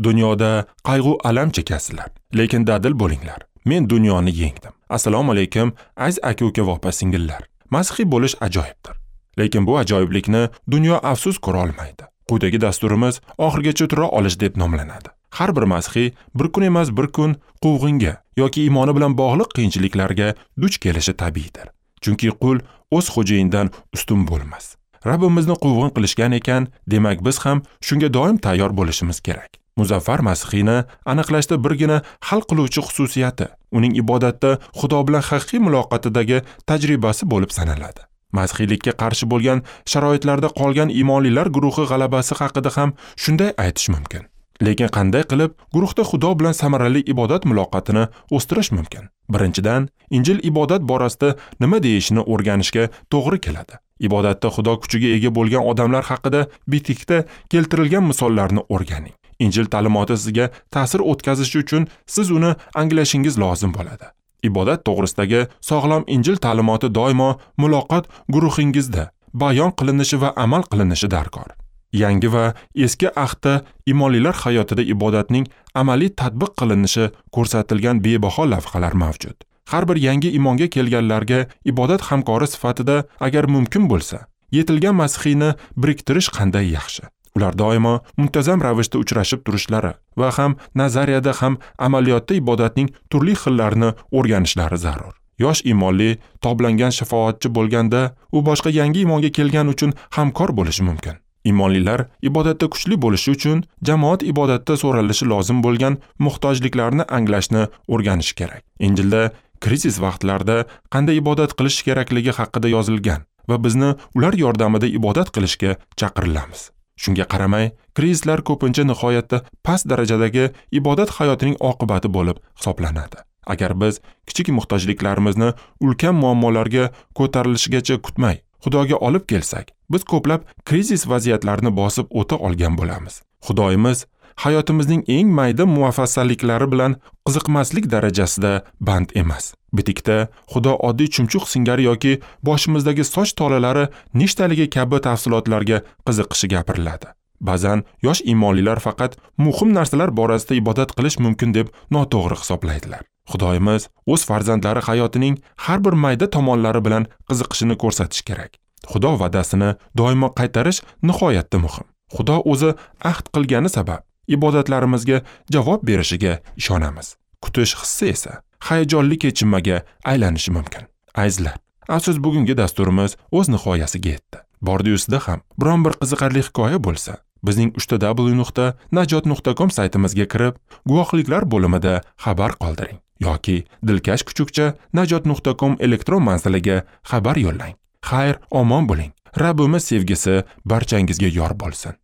Dunyoda qayg'u alam chekasizlar, lekin dadil bo'linglar. Men dunyoni yengdim. Assalomu alaykum, aziz aka-uka va opa-singillar. Masihiy bo'lish ajoyibdir. Lekin bu ajoyiblikni dunyo afsus ko'ra olmaydi. Quyidagi dasturimiz oxirigacha tura olish deb nomlanadi. Har bir masihiy bir kun emas bir kun quvg'inga yoki iymoni bilan bog'liq qiyinchiliklarga duch kelishi tabiiydir. Chunki qul o'z xo'jayinidan ustun bo'lmas. Rabbimizni quvg'in qilishgan ekan, demak biz ham shunga doim tayyor bo'lishimiz kerak. Muzaffar Masihiyni aniqlashda birgina hal qiluvchi xususiyati uning ibodatda Xudo bilan haqiqiy muloqotidagi tajribasi bo'lib sanaladi. Masihiylikka qarshi bo'lgan sharoitlarda qolgan iymonlilar guruhi g'alabasi haqida ham shunday aytish mumkin. Lekin qanday qilib guruhda Xudo bilan samarali ibodat muloqotini o'stirish mumkin? Birinchidan, Injil ibodat borasida nima deyishini o'rganishga to'g'ri keladi. Ibodatda Xudo kuchiga ega bo'lgan odamlar haqida bitikda keltirilgan misollarni o'rganing. Injil ta'limoti sizga ta'sir o'tkazishi uchun siz uni anglashingiz lozim bo'ladi. Ibodat to'g'risidagi sog'lom Injil ta'limoti doimo muloqot guruhingizda bayon qilinishi va amal qilinishi darkor. Yangi va eski ahdda iymonlilar hayotida ibodatning amaliy tatbiq qilinishi ko'rsatilgan bebaho lavhalar mavjud. Har bir yangi iymonga kelganlarga ibodat hamkori sifatida agar mumkin bo'lsa, yetilgan masihiyni biriktirish qanday yaxshi. Ular doimo muntazam ravishda uchrashib turishlari va ham nazariyada ham amaliyotda ibodatning turli xillarini o'rganishlari zarur. Yosh iymonli toblangan shafoatchi bo'lganda, u boshqa yangi iymonga kelgan uchun hamkor bo'lishi mumkin. Iymonlilar ibodatda kuchli bo'lishi uchun jamoat ibodatda so'ralishi lozim bo'lgan muhtojliklarni anglashni o'rganish kerak. Injilda krizis vaqtlarida qanday ibodat qilish kerakligi haqida yozilgan va bizni ular yordamida ibodat qilishga chaqirilamiz. Shunga qaramay, krizislar ko'pincha nihoyatda past darajadagi ibodat hayotining oqibati bo'lib hisoblanadi. Agar biz kichik muhtojliklarimizni ulkan muammolarga ko'tarilishigacha kutmay, Xudoga olib kelsak, biz ko'plab krizis vaziyatlarini bosib o'ta olgan bo'lamiz. Xudoyimiz hayotimizning eng mayda muvaffaqiyatliklari bilan qiziqmaslik darajasida band emas. Bitikda Xudo oddiy chumchuq singari yoki boshimizdagi soch tolalari nechtaligi kabi tafsilotlarga qiziqishi gapiriladi. Ba'zan yosh iymonlilar faqat muhim narsalar borasida ibodat qilish mumkin deb noto'g'ri hisoblaydilar. Xudoyimiz o'z farzandlari hayotining har bir mayda tomonlari bilan qiziqishini ko'rsatish kerak. Xudo va'dasini doimo qaytarish nihoyatda muhim. Xudo o'zi ahd qilgani sabab ibodatlarimizga javob berishiga ishonamiz. Kutish hissi esa hayajonli kechinmaga aylanishi mumkin. Azizlar, afsus bugungi dasturimiz o'z nihoyasiga yetdi. Bordi-yusida ham biron bir qiziqarli hikoya bo'lsa, bizning www.najot.com saytimizga kirib, guvohliklar bo'limida xabar qoldiring yoki dilkash kuchukcha najot.com elektron manziliga xabar yo'llang. Xayr, omon bo'ling. Rabbimiz sevgisi barchangizga yor bo'lsin.